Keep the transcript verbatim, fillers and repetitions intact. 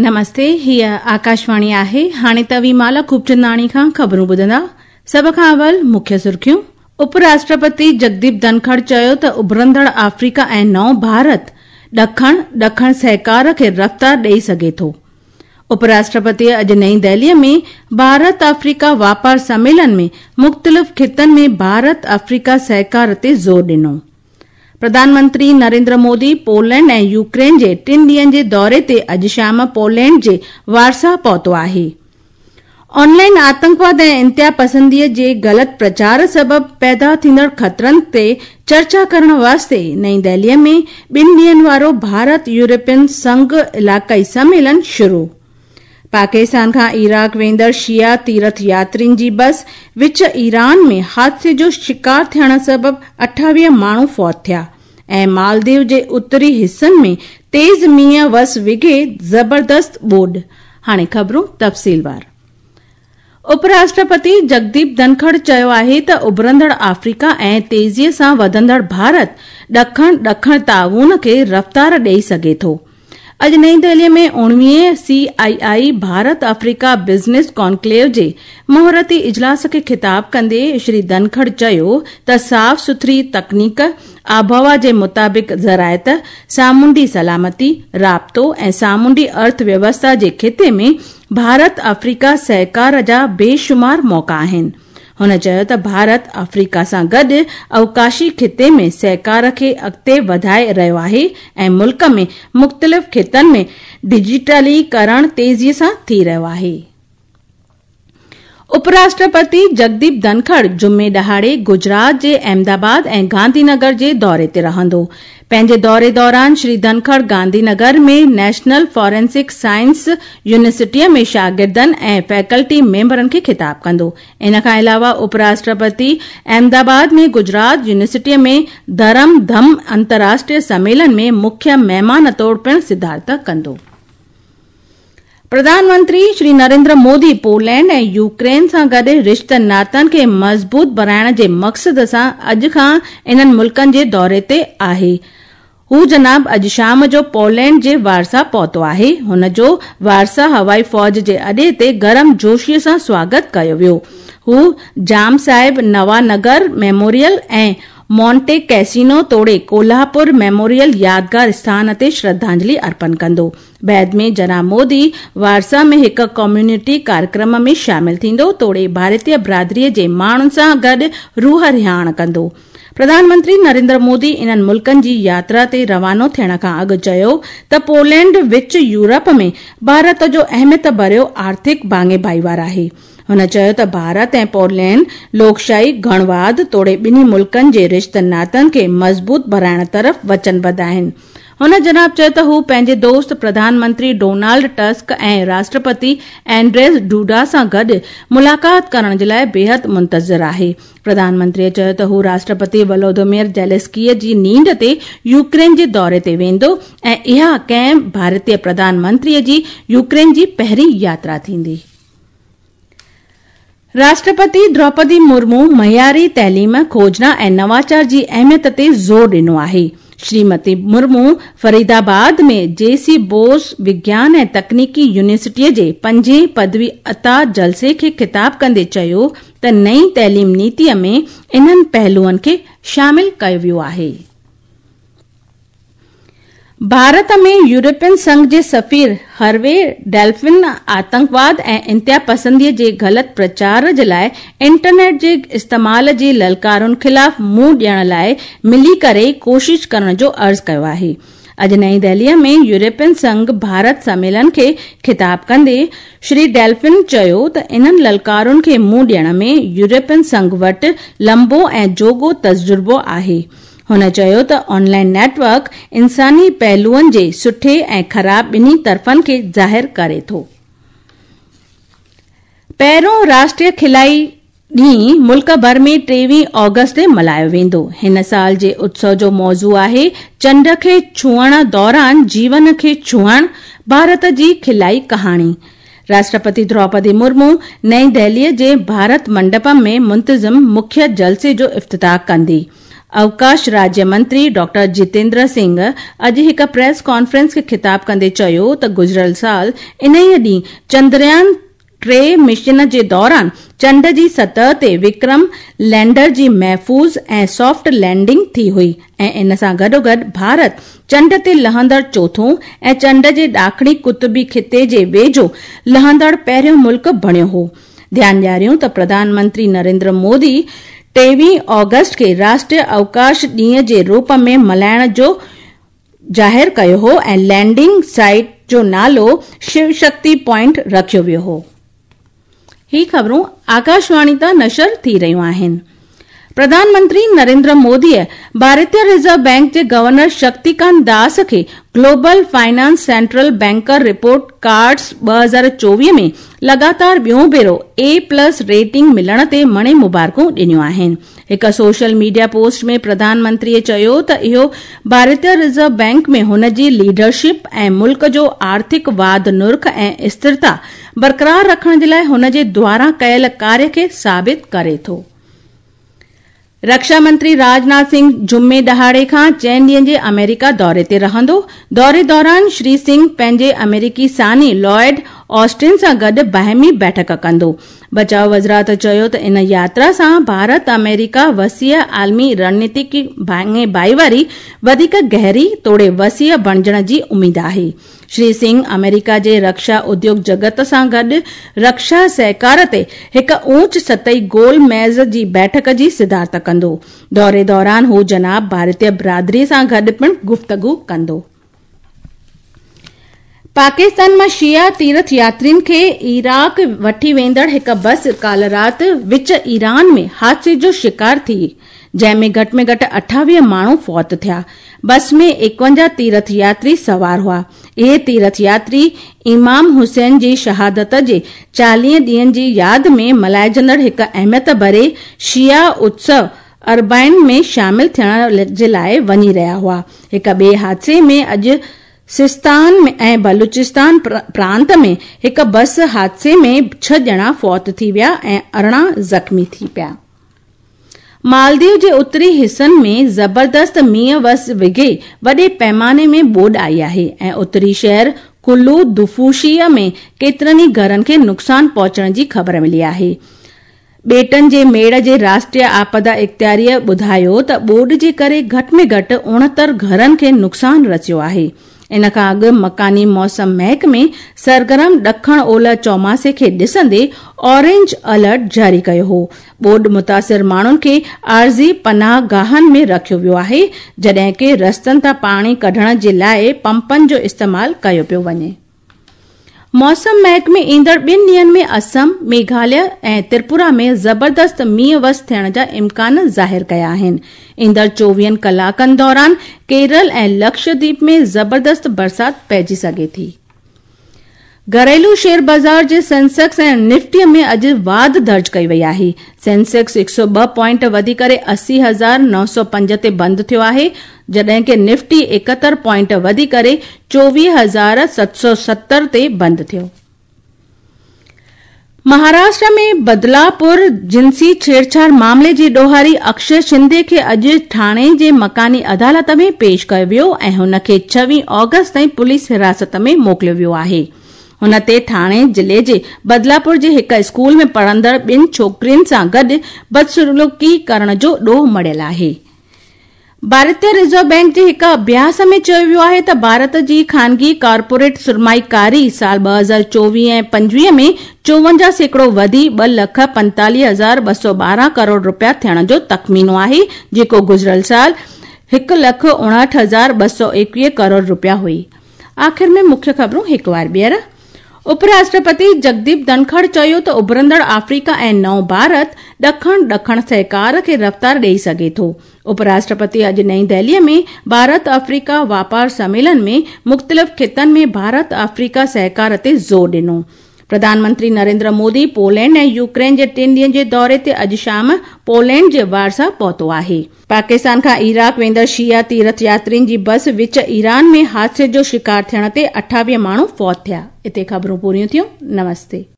نمستي، هيء آڪاشواڻي آهي. هاڻي توهين مالا خوبچنداڻي کان خبرون ٻڌندا. سڀ کان اول مکيه سرخيون. اپ راشٽرپتي جگديپ ڌنکڙ چيو ته اڀرندڙ آفريڪا ۽ نئون ڀارت ڏکڻ ڏکڻ سهڪار کي رفتار ڏئي سگهي ٿو. اپ راشٽرپتيء اڄ نئين دهليء ۾ ڀارت آفريڪا واپار سميلن ۾ مختلف خطن ۾ ڀارت آفريڪا سهڪار تي زور ڏنو. پرڌان منتري نريندر مودي پولينڊ ۽ يوڪرين جي ٽن ڏينهن جي دوري تي اڄ شام پولينڊ جي وارسا پهتو آهي. آن لائن آتنڪواد ۽ انتها پسنديء جي غلط پرچار سبب پيدا ٿيندڙ خطرن تي چرچا ڪرڻ واسطي نئين دهليء ۾ ٻن ڏينهن وارو ڀارت يورپين سنگهه علائقائي سميلن شروع. پاڪستان کان عراق ويندڙ شيعا تيرٿ ياترين جي بس وچ ايران ۾ حادثي جو شڪار ٿيڻ سبب اٺاويهه ماڻهو فوت ٿيا ۽ مالديو جي اتري حصن ۾ تيز مينهن وس وگهي زبردست ٻوڏ. هاڻي خبرون تفصيلوار. اپ راشٽرپتي جگديپ ڌنکڙ چيو آهي ته اڀرندڙ آفريڪا ۽ تيزيء سان وڌندڙ ڀارت ڏکڻ ڏکڻ تعاون کي رفتار ڏئي سگهي ٿو. اڄ نئين دهليء ۾ اڻويهين سي آء آء ڀارت آفريڪا بزنس ڪانڪليو جي مهورتي اجلاس کي خطاب ڪندي شري ڌنکڙ چيو ته صاف سٿري تڪنيڪ، آبهوا جي مطابق زراعت، سامونڊي سلامتي، رابطو ۽ سامونڊي ارٿ ويوسٿا جي خطي ۾ ڀارت آفريڪا سهڪار جا بيشمار موقعا آهن. هن چيو ته ڀارت آفريڪا سان گڏ اوقاشي خطي ۾ سهڪار کي اڳتي وڌائي رهيو آهي ۽ ملڪ ۾ مختلف خطن ۾ ڊجيٽليڪرڻ تيزيء سان ٿي رهيو آهي. اپ راشٽرپتي جگديپ ڌنکڙ جمعي ڏهاڙي گجرات جي احمدآباد ۽ گانڌي نگر جي دوري تي رهندو. پنهنجي دوري دوران شري ڌنکڙ گانڌي نگر ۾ نيشنل فارينسڪ سائنس يونيورسٽيء ۾ شاگردن ۽ فيڪلٽي ميمبرن کي خطاب ڪندو. ان کان علاوه اپ راشٽرپتي احمدآباد ۾ گجرات يونيورسٽيء ۾ ڌرم ڌم انترراشٽريه سميلن ۾ مکيه مهمان طور پڻ صدارت ڪندو. پرڌان منتري شري نريندر مودي پولينڊ ۽ يوڪرين سان گڏ رشتن ناتن کي مضبوط بڻائڻ جي مقصد سان اڄ کان انهن ملڪن جي دوري تي آهي. هو جناب اڄ شام جو پولينڊ جي وارسا پهتو آهي. هن جو وارسا هوائي فوج جي اڏي تي گرم جوشيء سان سواگت ڪيو ويو. هو جام صاحب نوا نگر ميموريل ۽ مونٽي ڪيسينو توڙي ڪولهاپور ميموريل يادگار اسٿان تي شرڌانجلي ارپڻ ڪندو. بعد ۾ جناب مودي وارسا ۾ هڪ ڪميونٽي ڪاريڪرم ۾ شامل ٿيندو توڙي ڀارتيه برادريء جي ماڻهن سان گڏ روح رهاڻ ڪندو. پرڌان منتري نريندر مودي انهن ملڪن جي ياترا تي روانو ٿيڻ کان اڳ چيو ته پولينڊ وچ يورپ ۾ ڀارت جو اهميت ڀريو آرٿڪ ڀاڱي ڀائيوار آهي. هن چيو ته ڀارت ۽ پولينڊ لوڪشاهي، گڻواد توڙي ٻنهي ملڪن جي رشتن ناتن کي مضبوط بڻائڻ طرف وچنبڌ آهن. هن جناب چيو ته هو پنهنجي دوست پرڌان منتري ڊونالڊ ٽسڪ ۽ راشٽرپتي اينڊريز ڊوڊا سان گڏ ملاقات ڪرڻ جي لاء بيحد منتظر آهي. پرڌان منتريء چيو ته هو راشٽرپتي ولودومير زيلنسڪيء جي نينڍ تي يوڪرين جي دوري تي ويندو ۽ اها ڪنهن ڀارتي پرڌان منتريء جي يوڪرين جي پهرين ياترا ٿيندي. راشٽرپتي دروپدي مرمو معياري تعليم، کوجنا ۽ نواچار جي اهميت تي زور ڏنو آهي. شريمتي مرمو فريدآباد ۾ جي سي بوس وگيان ۽ تڪنيڪي يونيورسٽيء جي پنجين پدوي عطا جلسي کي خطاب ڪندي چيو ته نئين تعليم نيتيء ۾ انهن پهلوئن کي شامل ڪيو ويو آهي. ڀارت ۾ يورپين سنگهه جي سفير هروي ڊيلفن آتنڪواد ۽ انتها پسنديء جي غلط پرچار جي لاء انٽرنيٽ جي استعمال جي للڪارن خلاف منهن ڏيڻ لاء ملي ڪري ڪوشش ڪرڻ جو عرض ڪيو آهي. اڄ نئين دهليء ۾ يورپين سنگهه ڀارت سميلن کي خطاب ڪندي شري ڊيلفن چيو ته انهن للڪارن کي منهن ڏيڻ ۾ يورپين سنگهه وٽ لمبو ۽ جوڳو تجربو آهي. هن چيو ته آن لائن نيٽ ورڪ انساني پهلوئن جي سٺي ۽ خراب ٻنهي طرفن کي ظاهر ڪري ٿو. پهريون راشٽريه کلائي ڏينهن ملڪ ڀر ۾ ٽيويهه آگسٽ تي ملهايو ويندو. هن سال جي اتسو جو موضوع آهي چنڊ کي ڇهڻ دوران جيون کي ڇهڻ، ڀارت جي کلائي ڪهاڻي. راشٽرپتي دروپدي مرمو نئين دهليء جي ڀارت منڊپم ۾ منتظم مکيه جلسي جو افتتاح ڪندي. अवकाश राज्य मंत्री डॉक्टर जितेंद्र सिंह अॼु हिकु प्रेस कॉन्फ्रेंस खे ख़िताब कंदे चयो त गुज़िरियल साल इन्हीअ ॾींहुं चंद्रयान टे मिशन जे दौरान चंड जी सतह ते विक्रम लैंडर जी महफ़ूज़ ऐं सॉफ्ट लैंडिंग थी हुई ऐं इन सां गॾोगॾु भारत चंड ते लहंदड़ चोथों ऐं चंड जे ॾाखणी कुतुबी ख़िते जे वेझो लहंदड़ पहिरियों मुल्क बणियो हो। ध्यानु ॾियारियूं त प्रधानमंत्री नरेंद्र मोदी टेवीह ऑगस्ट खे राष्ट्रीय अवकाश ॾींहं जे रूप में मल्हाइण जो ज़ाहिर कयो हो ऐं लैंडिंग साइट जो नालो शिव शक्ति पॉइंट रखियो वियो हो। ही ख़बरूं आकाशवाणी तां नशर थी रहियूं आहिनि। प्रधानमंत्री नरेंद्र मोदीअ भारतीय रिज़र्व बैंक जे गवर्नर शक्तिकांत दास खे global finance central banker report cards ॿ हज़ार चोवीह में लगातार ॿियों भेरो ए प्लस रेटिंग मिलण ते मणे मुबारकूं ॾिनियूं आहिनि। हिकु सोशल मीडिया पोस्ट में प्रधानमंत्रीअ चयो त इहो भारतीय रिज़र्व बैंक में हुन जी लीडरशिप ऐं मुल्क जो आर्थिक वाध नुर्ख ऐं स्थिरता बरक़रार रखण जे लाइ हुन जे द्वारा कयल कार्य खे साबित करे थो। रक्षा मंत्री राजनाथ सिंह जुमे ॾहाड़े खां चइनि ॾींहनि जे अमेरिका दौरे ते रहंदो। दौरे दौरान श्री सिंह पंहिंजे अमेरिकी सानी लॉयड ऑस्टिन सां गॾु बाहिमी बैठक कंदो। बचाव वज़ारत चयो त इन यात्रा सां भारत अमेरिका वसीअ आलमी रणनीतिक भाङे भाईवारी वधीक गहरी तोड़े वसीअ बणिजण जी उमेद आहे। श्री सिंह अमेरिका जे रक्षा उद्योग जगत सां गॾु रक्षा सहकार ते हिकु ऊंच सतही गोल मेज़ जी बैठक जी सिदारत कंदो। दौरे दौरान हू जनाब भारतीय बिरादरी सां गॾु पिणु गुफ़्तगू कंदो। पाकिस्तान मां शिया तीर्थ यात्रियुनि खे इराक वठी वेंदड़ हिकु बस काल राति विच ईरान में हादसे जो शिकार थी, जंहिंमें घटि में घटि अठावीह माण्हू फौत थिया। बस में एकवंजाह तीर्थ यात्री सवार हुआ। इहे तीर्थ यात्री इमाम हुसैन जी शहादत जे चालीह ॾींहनि जी याद में मल्हाइजंदड़ हिकु अहमियत भरे शिया उत्सव अरबाइन में शामिल थियण जे लाइ वञी रहिया हुआ। हिकु ॿिए हादसे में अॼु सिस्तान ऐं बलूचिस्तान प्रांत में हिकु बस हादसे में छह ॼणा फौत थी विया ऐं अरिड़हं ज़ख़्मी थी पिया। मालदीव जे उत्तरी हिसनि में ज़बरदस्त मींहुं वस विघे वॾे पैमाने में ॿोॾ आई आहे ऐं उत्तरी शहर कुल्लू दुफूशीअ में केतिरनि ई घरनि खे नुक़सानु पहुचण जी ख़बर मिली आहे। ॿेटनि जे मेड़ जे राष्ट्रीय आपदा इख़्तियारीअ ॿुधायो त ॿोॾ जे करे घटि में घटि उणहतरि घरनि खे नुक़सानु रसियो आहे। इन खां अॻु मकानी मौसम महकमे सरगर्म ॾखण ओलह चौमासे खे ॾिसंदे ऑरेंज अलर्ट जारी कयो हो। ॿोॾ मुतासिर माण्हुनि खे आर्ज़ी पनाह गाहनि में रखियो वियो आहे, जॾहिं की रस्तनि तां पाणी कढण जे लाइ पंपनि जो इस्तेमालु कयो पियो वञे। मौसम महकमे ईंदड़ ॿिनि ॾींहनि में असम, मेघालय ऐं त्रिपुरा में ज़बरदस्त मींहुं वस थियण जा इम्कान ज़ाहिर कया आहिनि। ईंदड़ चोवीहनि कलाकनि दौरान केरल ऐं लक्षद्वीप में ज़बरदस्त बरसाति पइजी सघे थी। घरेलू शेयर बाज़ार जे सेंसेक्स ऐं निफ्टीअ में अॼु वाध दर्ज कई वई आहे। सेंसेक्स हिकु सौ ॿ पॉइंट वधी करे अस्सी हज़ार नौ सौ पंज ते बंदि थियो आहे, जॾहिं की निफ्टी एकहतरि पॉइंट वधी करे चोवीह हज़ार सत सौ सतरि ते बंदि थियो। महाराष्ट्र में बदलापुर जिनसी छेड़छाड़ मामले जे ॾोहारी अक्षय शिंदे खे अॼु ठाणे जे मकानी अदालत में पेश कयो वियो ऐं हुनखे छवीह ऑगस्ट ताईं पुलिस हिरासत में मोकिलियो वियो आहे। हुन ते ठाणे ज़िले जे बदलापुर जे हिकु स्कूल में पढ़ंदड़ ॿिनि छोकिरियुनि सां गॾु बदसलूकी करण जो ॾोह मढ़ियल आहे। भारतीय रिज़र्व बैंक जे हिकु अभ्यास में चयो वियो आहे त भारत जी खानगी कॉर्पोरेट सरमाईकारी साल ॿ हज़ार चोवीह ऐं पंजवीह में चोवंजाह सैकड़ो वधी ॿ लख पंतालीह हज़ार ॿ सौ ॿारहं करोड़ रुपया थियण जो तख़मीनो आहे, जेको गुज़िरियल साल हिकु लख उणहठि हज़ार ॿ सौ एकवीह करोड़ रुपया हुई। आख़िर में मुख्य ख़बरूं हिकु बार ॿीहर। उपराष्ट्रपति जगदीप धनखड़ चयो त उभरंदड़ आफ्रीका ऐं नओं भारत ॾखण ॾखण सहकार खे रफ़्तार ॾेई सघे थो। उपराष्ट्रपति अॼु नई दिल्लीअ में भारत अफ्रीका वापार सम्मेलन में मुख़्तलिफ़ ख़ितनि में भारत अफ्रीका सहकार ते ज़ोर ॾिनो। प्रधानमंत्री नरेंद्र मोदी पोलैंड ऐं यूक्रेन जे टिनि ॾींहनि जे दौरे ते अॼु शाम पोलैंड जे वारसा पहुतो आहे। पाकिस्तान खां इराक वेंदड़ शिया तीर्थ यात्रियुनि जी बस विच ईरान में हादसे जो शिकार थियण ते अठावीह माण्हू फौत थिया। हिते ख़बरूं पूरियूं थियूं। नमस्ते।